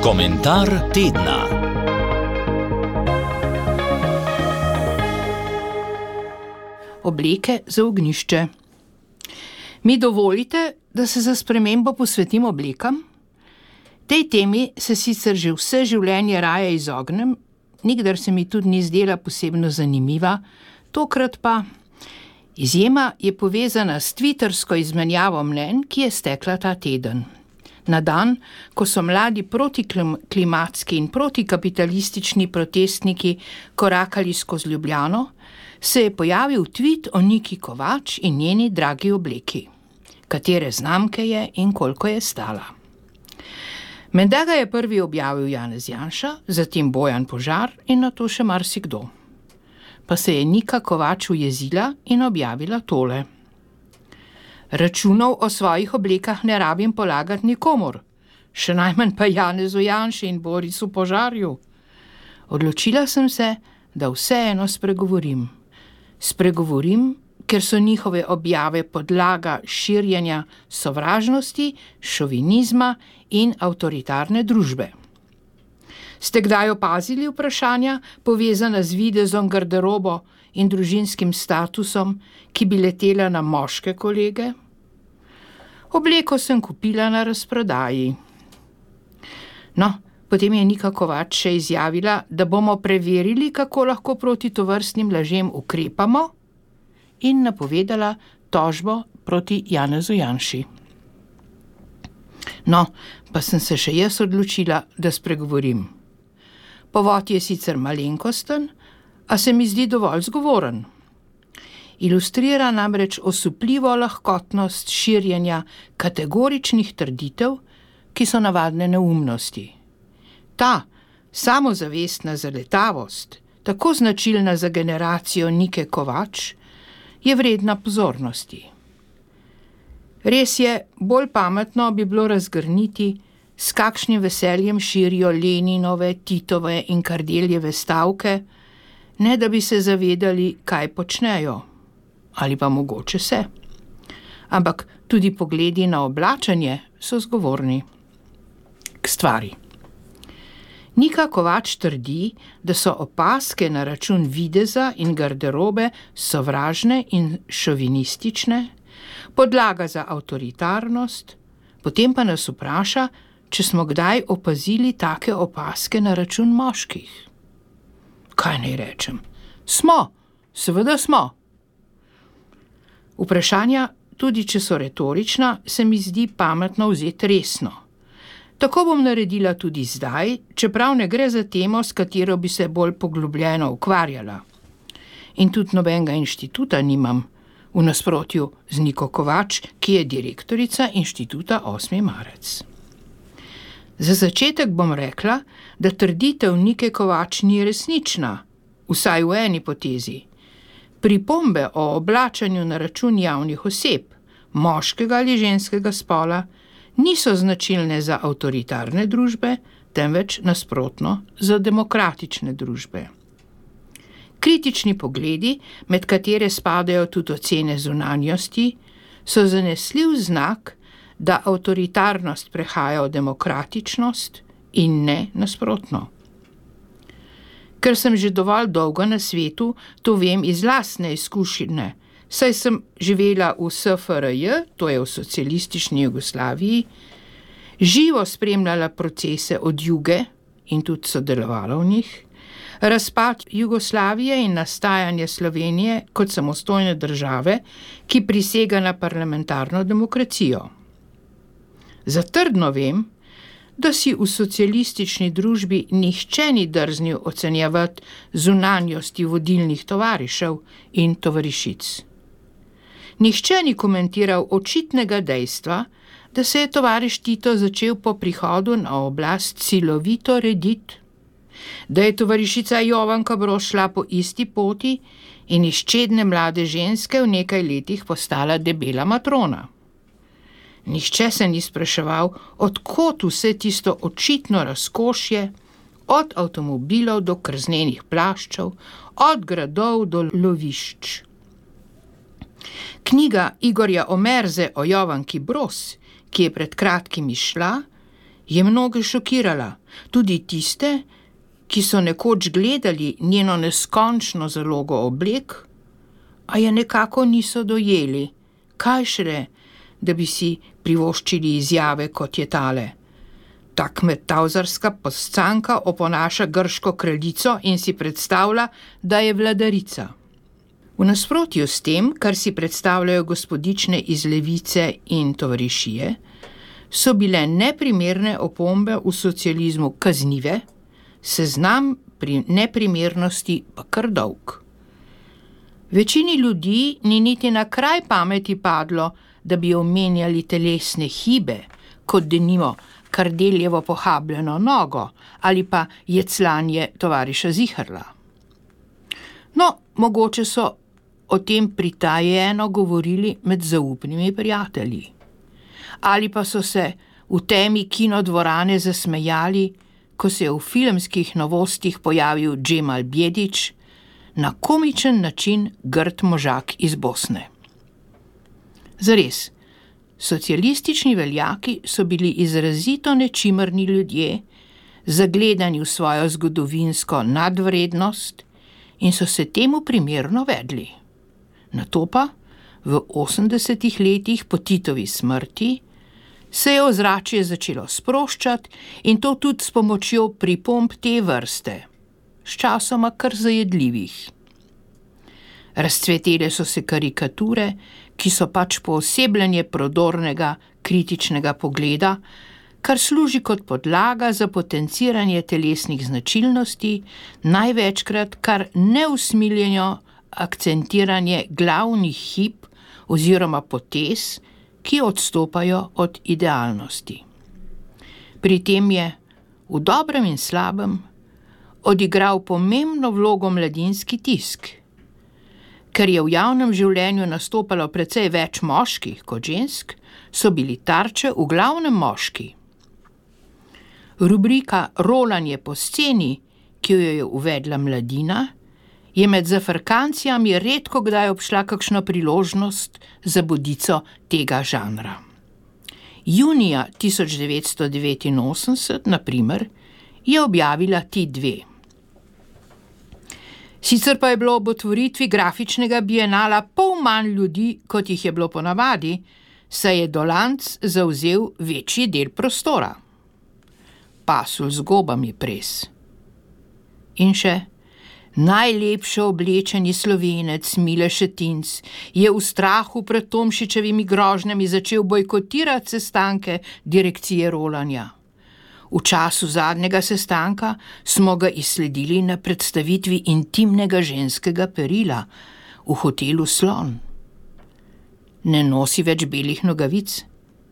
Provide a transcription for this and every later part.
Komentar tedna. Obleke za ognjišče. Mi dovolite, da se za spremembo posvetim oblekam? Tej temi se sicer že vse življenje raje izognem, nikdar se mi tudi ni zdela posebno zanimiva, tokrat pa. Izjema je povezana s twittersko izmenjavo mnenj, ki je stekla ta teden. Na dan, ko so mladi protiklimatski in protikapitalistični protestniki korakali skozi Ljubljano, se je pojavil tweet o Niki Kovač in njeni dragi obleki. Katere znamke je in koliko je stala. Menda ga je prvi objavil Janez Janša, zatem Bojan Požar in nato še marsikdo. Pa se je Nika Kovač ujezila in objavila tole. Računov o svojih oblekah ne rabim polagati nikomur, še najmanj pa Janezu Janši in Borisu Požarju. Odločila sem se, da vseeno spregovorim. Spregovorim, ker so njihove objave podlaga širjenja sovražnosti, šovinizma in avtoritarne družbe. Ste kdaj opazili vprašanja, povezana z videzom, garderobo in družinskim statusom, ki bi letela na moške kolege? Obleko sem kupila na razprodaji. No, potem je Nika Kovač še izjavila, da bomo preverili, kako lahko proti tovrstnim lažem ukrepamo, in napovedala tožbo proti Janezu Janši. No, pa sem se še jaz odločila, da spregovorim. Povod je sicer malenkosten, a se mi zdi dovolj zgovoren. Ilustrira namreč osupljivo lahkotnost širjenja kategoričnih trditev, ki so navadne neumnosti. Ta samozavestna zaletavost, tako značilna za generacijo Nike Kovač, je vredna pozornosti. Res je, bolj pametno bi bilo razgrniti, s kakšnim veseljem širijo Leninove, Titove in Kardeljeve stavke, ne da bi se zavedali, kaj počnejo, ali pa mogoče se. Ampak tudi pogledi na oblačenje so zgovorni. K stvari. Nika Kovač trdi, da so opazke na račun videza in garderobe sovražne in šovinistične, podlaga za avtoritarnost, potem pa nas vpraša, če smo kdaj opazili take opazke na račun moških. Kaj naj rečem? Smo, seveda smo. Vprašanja, tudi če so retorična, se mi zdi pametno vzeti resno. Tako bom naredila tudi zdaj, čeprav ne gre za temo, s katero bi se bolj poglobljeno ukvarjala. In tudi nobenega inštituta nimam, v nasprotju z Niko Kovač, ki je direktorica inštituta 8. marec. Za začetek bom rekla, da trditev Nike Kovač ni resnična, vsaj v eni potezi. Pripombe o oblačanju na račun javnih oseb, moškega ali ženskega spola, niso značilne za avtoritarne družbe, temveč nasprotno za demokratične družbe. Kritični pogledi, med katere spadajo tudi ocene zunanjosti, so zanesljiv znak, da avtoritarnost prehaja v demokratičnost in ne nasprotno. Ker sem že dovolj dolgo na svetu, to vem iz lastne izkušnje, saj sem živela v SFRJ, to je v socialistični Jugoslaviji, živo spremljala procese od Juge in tudi sodelovala v njih, razpad Jugoslavije in nastajanje Slovenije kot samostojne države, ki prisega na parlamentarno demokracijo. Zatrdno vem, da si v socialistični družbi nihče ni drznil ocenjevati zunanjosti vodilnih tovarišev in tovarišic. Nihče ni komentiral očitnega dejstva, da se je tovariš Tito začel po prihodu na oblast silovito rediti, da je tovarišica Jovanka Brož šla po isti poti in iz čedne mlade ženske v nekaj letih postala debela matrona. Nihče se ni spraševal, od kod vse tisto očitno razkošje, od avtomobilov do krznenih plaščev, od gradov do lovišč. Knjiga Igorja Omerze o Jovanki Broz, ki je pred kratkim izšla, je mnoge šokirala, tudi tiste, ki so nekoč gledali njeno neskončno zalogo oblek, a je nekako niso dojeli, kaj šele, da bi si privoščili izjave, kot je tale. Ta kmetavzarska poscanka oponaša grško kraljico in si predstavlja, da je vladarica. V nasprotju s tem, kar si predstavljajo gospodične iz Levice in tovarišije, so bile neprimerne opombe v socializmu kaznive, seznam pri neprimernosti pa kar dolg. Večini ljudi ni niti na kraj pameti padlo, da bi omenjali telesne hibe, kot denimo Kardeljevo pohabljeno nogo ali pa jeclanje tovariša Ziherla. No, mogoče so o tem pritajeno govorili med zaupnimi prijatelji. Ali pa so se v temi kinodvorane zasmejali, ko se je v filmskih novostih pojavil Džemal Bjedić, na komičen način grd možak iz Bosne. Zares, socialistični veljaki so bili izrazito nečimrni ljudje, zagledani v svojo zgodovinsko nadvrednost in so se temu primerno vedli. Nato pa, v 80. letih po Titovi smrti, se je ozračje začelo sproščati in to tudi s pomočjo pripomb te vrste, sčasoma kar zajedljivih. Razcvetele so se karikature, ki so pač poosebljanje prodornega, kritičnega pogleda, kar služi kot podlaga za potenciranje telesnih značilnosti, največkrat kar neusmiljeno akcentiranje glavnih hib oziroma potez, ki odstopajo od idealnosti. Pri tem je, v dobrem in slabem, odigral pomembno vlogo mladinski tisk. Ker je v javnem življenju nastopalo precej več moških kot žensk, so bili tarče v glavnem moški. Rubrika Rolanje po sceni, ki jo je uvedla Mladina, je med zafrkancijami redko kdaj obšla kakšna priložnost za bodico tega žanra. Junija 1989, na primer, je objavila ti dve. Sicer pa je bilo ob otvoritvi grafičnega bienala pol manj ljudi, kot jih je bilo ponavadi, saj je Dolanc zavzel večji del prostora. Pasulj z gobami pres. In še, najlepše oblečeni Slovenec Mile Šetinc je v strahu pred Tomšičevimi grožnjami začel bojkotirati sestanke direkcije rolanja. V času zadnjega sestanka smo ga izsledili na predstavitvi intimnega ženskega perila v hotelu Slon. Ne nosi več belih nogavic,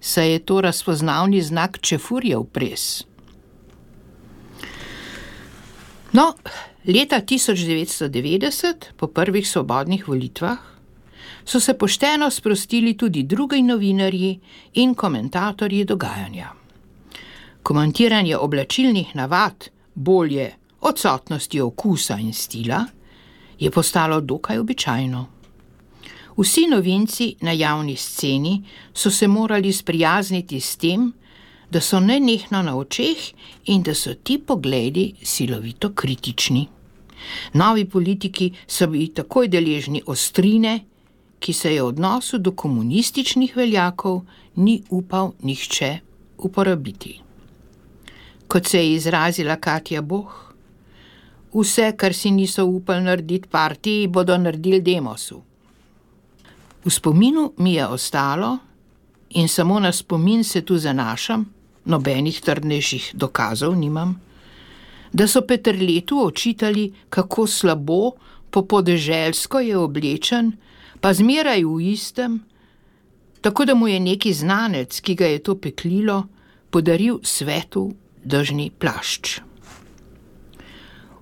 saj je to razpoznavni znak čefurjev pres. No, leta 1990, po prvih svobodnih volitvah, so se pošteno sprostili tudi drugi novinarji in komentatorji dogajanja. Komentiranje oblačilnih navad, bolje odsotnosti okusa in stila, je postalo dokaj običajno. Vsi novinci na javni sceni so se morali sprijazniti s tem, da so nenehno na očeh in da so ti pogledi silovito kritični. Novi politiki so bili takoj deležni ostrine, ki se je v odnosu do komunističnih veljakov ni upal nihče uporabiti. Kot se je izrazila Katja Boh, vse, kar si niso upali narediti partiji, bodo naredili Demosu. V spominu mi je ostalo, in samo na spomin se tu zanašam, nobenih trdnejših dokazov nimam, da so Peterletu očitali, kako slabo po podeželsko je oblečen, pa zmeraj v istem, tako da mu je neki znanec, ki ga je to peklilo, podaril svetu dežni plašč.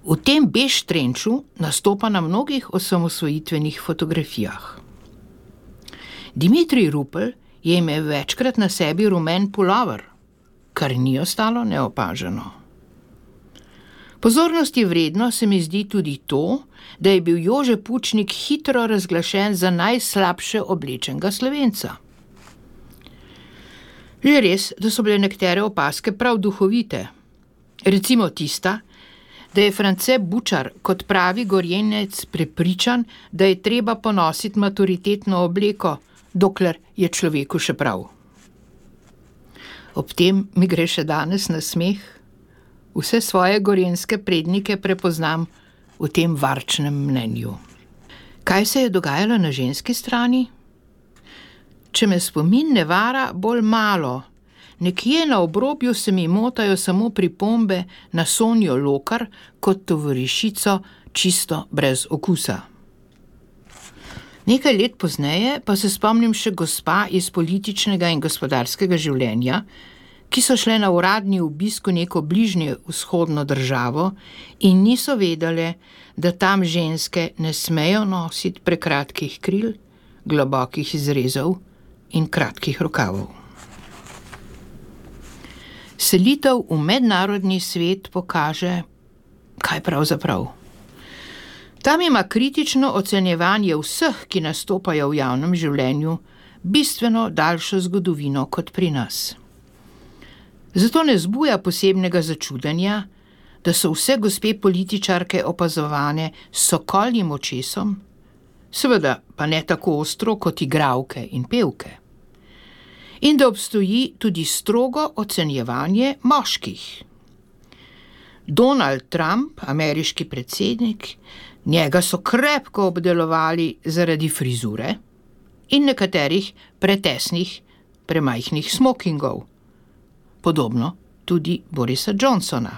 V tem bež trenču nastopa na mnogih osamosvojitvenih fotografijah. Dimitrij Rupel je imel večkrat na sebi rumen pulover, kar ni ostalo neopaženo. Pozornosti vredno se mi zdi tudi to, da je bil Jože Pučnik hitro razglašen za najslabše oblečenega Slovenca. Je res, da so bile nekatere opazke prav duhovite. Recimo tista, da je France Bučar kot pravi Gorjenec prepričan, da je treba ponositi maturitetno obleko, dokler je človeku še prav. Ob tem mi gre še danes na smeh. Vse svoje gorenjske prednike prepoznam v tem varčnem mnenju. Kaj se je dogajalo na ženski strani? Če me spomin ne vara, bolj malo. Nekje na obrobju se mi motajo samo pripombe na Sonjo Lokar kot tovarišico čisto brez okusa. Nekaj let pozneje pa se spomnim še gospa iz političnega in gospodarskega življenja, ki so šle na uradni obisk v neko bližnje vzhodno državo in niso vedele, da tam ženske ne smejo nositi prekratkih kril, globokih izrezov in kratkih rokavov. Selitev v mednarodni svet pokaže, kaj pravzaprav. Tam ima kritično ocenjevanje vseh, ki nastopajo v javnem življenju, bistveno daljšo zgodovino kot pri nas. Zato ne zbuja posebnega začudenja, da so vse gospe političarke opazovane s sokoljim očesom, seveda pa ne tako ostro kot igralke in pevke. In da obstoji tudi strogo ocenjevanje moških. Donald Trump, ameriški predsednik, njega so krepko obdelovali zaradi frizure in nekaterih pretesnih, premajhnih smokingov. Podobno tudi Borisa Johnsona.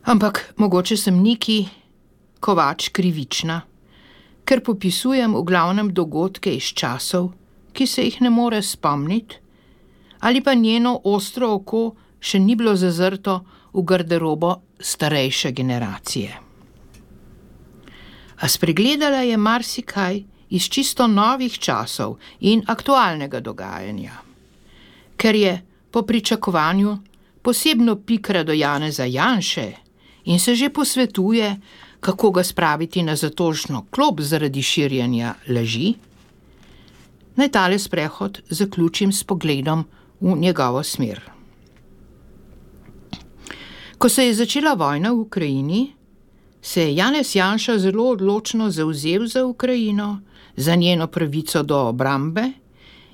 Ampak mogoče sem Niki Kovač krivična, ker popisujem v glavnem dogodke iz časov, ki se jih ne more spomniti, ali pa njeno ostro oko še ni bilo zazrto v garderobo starejše generacije. A spregledala je marsikaj iz čisto novih časov in aktualnega dogajanja, ker je po pričakovanju posebno pikra do Janeza Janše in se že posvetuje, kako ga spraviti na zatožno klop zaradi širjenja laži. Naj tale sprehod zaključim s pogledom v njegovo smer. Ko se je začela vojna v Ukrajini, se je Janez Janša zelo odločno zavzel za Ukrajino, za njeno pravico do obrambe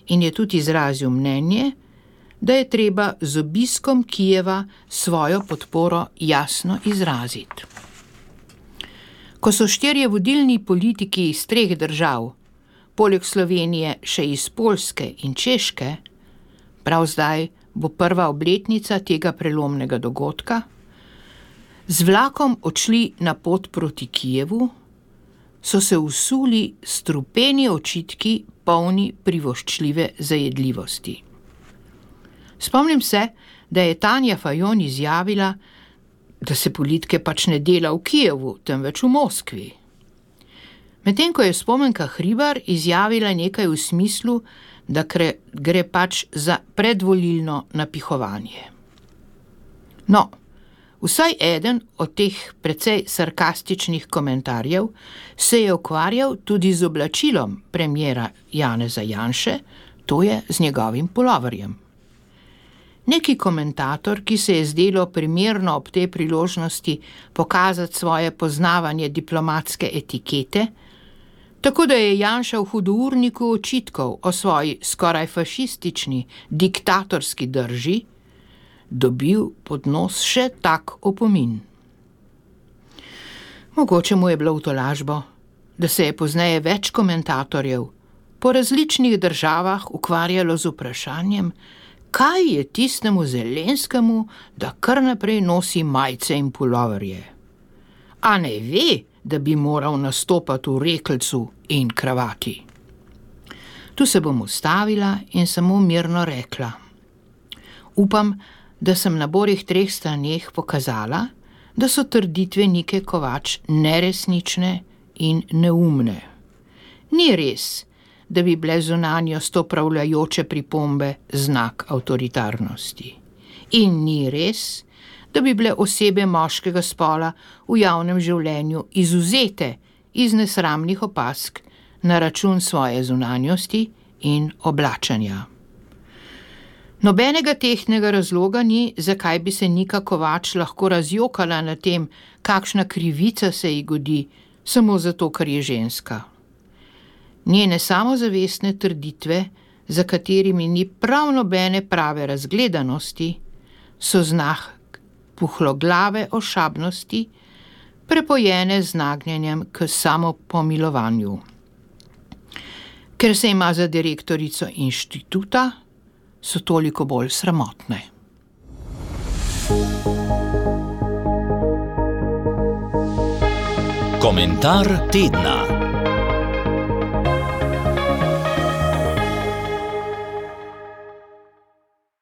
in je tudi izrazil mnenje, da je treba z obiskom Kijeva svojo podporo jasno izraziti. Ko so 4 vodilni politiki iz 3 držav, poleg Slovenije še iz Poljske in Češke, prav zdaj bo prva obletnica tega prelomnega dogodka, z vlakom odšli na pot proti Kijevu, so se usuli strupeni očitki polni privoščljive zajedljivosti. Spomnim se, da je Tanja Fajon izjavila, da se politike pač ne dela v Kijevu, temveč v Moskvi. Medtem ko je Spomenka Hribar izjavila nekaj v smislu, da gre pač za predvolilno napihovanje. No, vsaj eden od teh precej sarkastičnih komentarjev se je ukvarjal tudi z oblačilom premiera Janeza Janše, to je z njegovim puloverjem. Neki komentator, ki se je zdelo primerno ob tej priložnosti pokazati svoje poznavanje diplomatske etikete, tako da je Janša v hudourniku očitkov o svoji skoraj fašistični, diktatorski drži, dobil pod nos še tak opomin. Mogoče mu je bilo v tolažbo, da se je pozneje več komentatorjev po različnih državah ukvarjalo z vprašanjem, kaj je tistemu Zelenskemu, da kar naprej nosi majice in puloverje. A ne ve, da bi moral nastopati v rekelcu in kravati. Tu se bom ustavila in samo mirno rekla. Upam, da sem na borih 3 straneh pokazala, da so trditve Nike Kovač neresnične in neumne. Ni res, da bi bile zunanjo stopravljajoče pripombe znak avtoritarnosti. In ni res, da bi bile osebe moškega spola v javnem življenju izvzete iz nesramnih opazk na račun svoje zunanjosti in oblačenja. Nobenega tehtnega razloga ni, zakaj bi se Nika Kovač lahko razjokala na tem, kakšna krivica se ji godi, samo zato, ker je ženska. Njene samozavestne trditve, za katerimi ni prav nobene prave razgledanosti, so znak puhloglave ošabnosti, prepojene z nagnjenjem k samopomilovanju. Ker se ima za direktorico inštituta, so toliko bolj sramotne. Komentar tedna.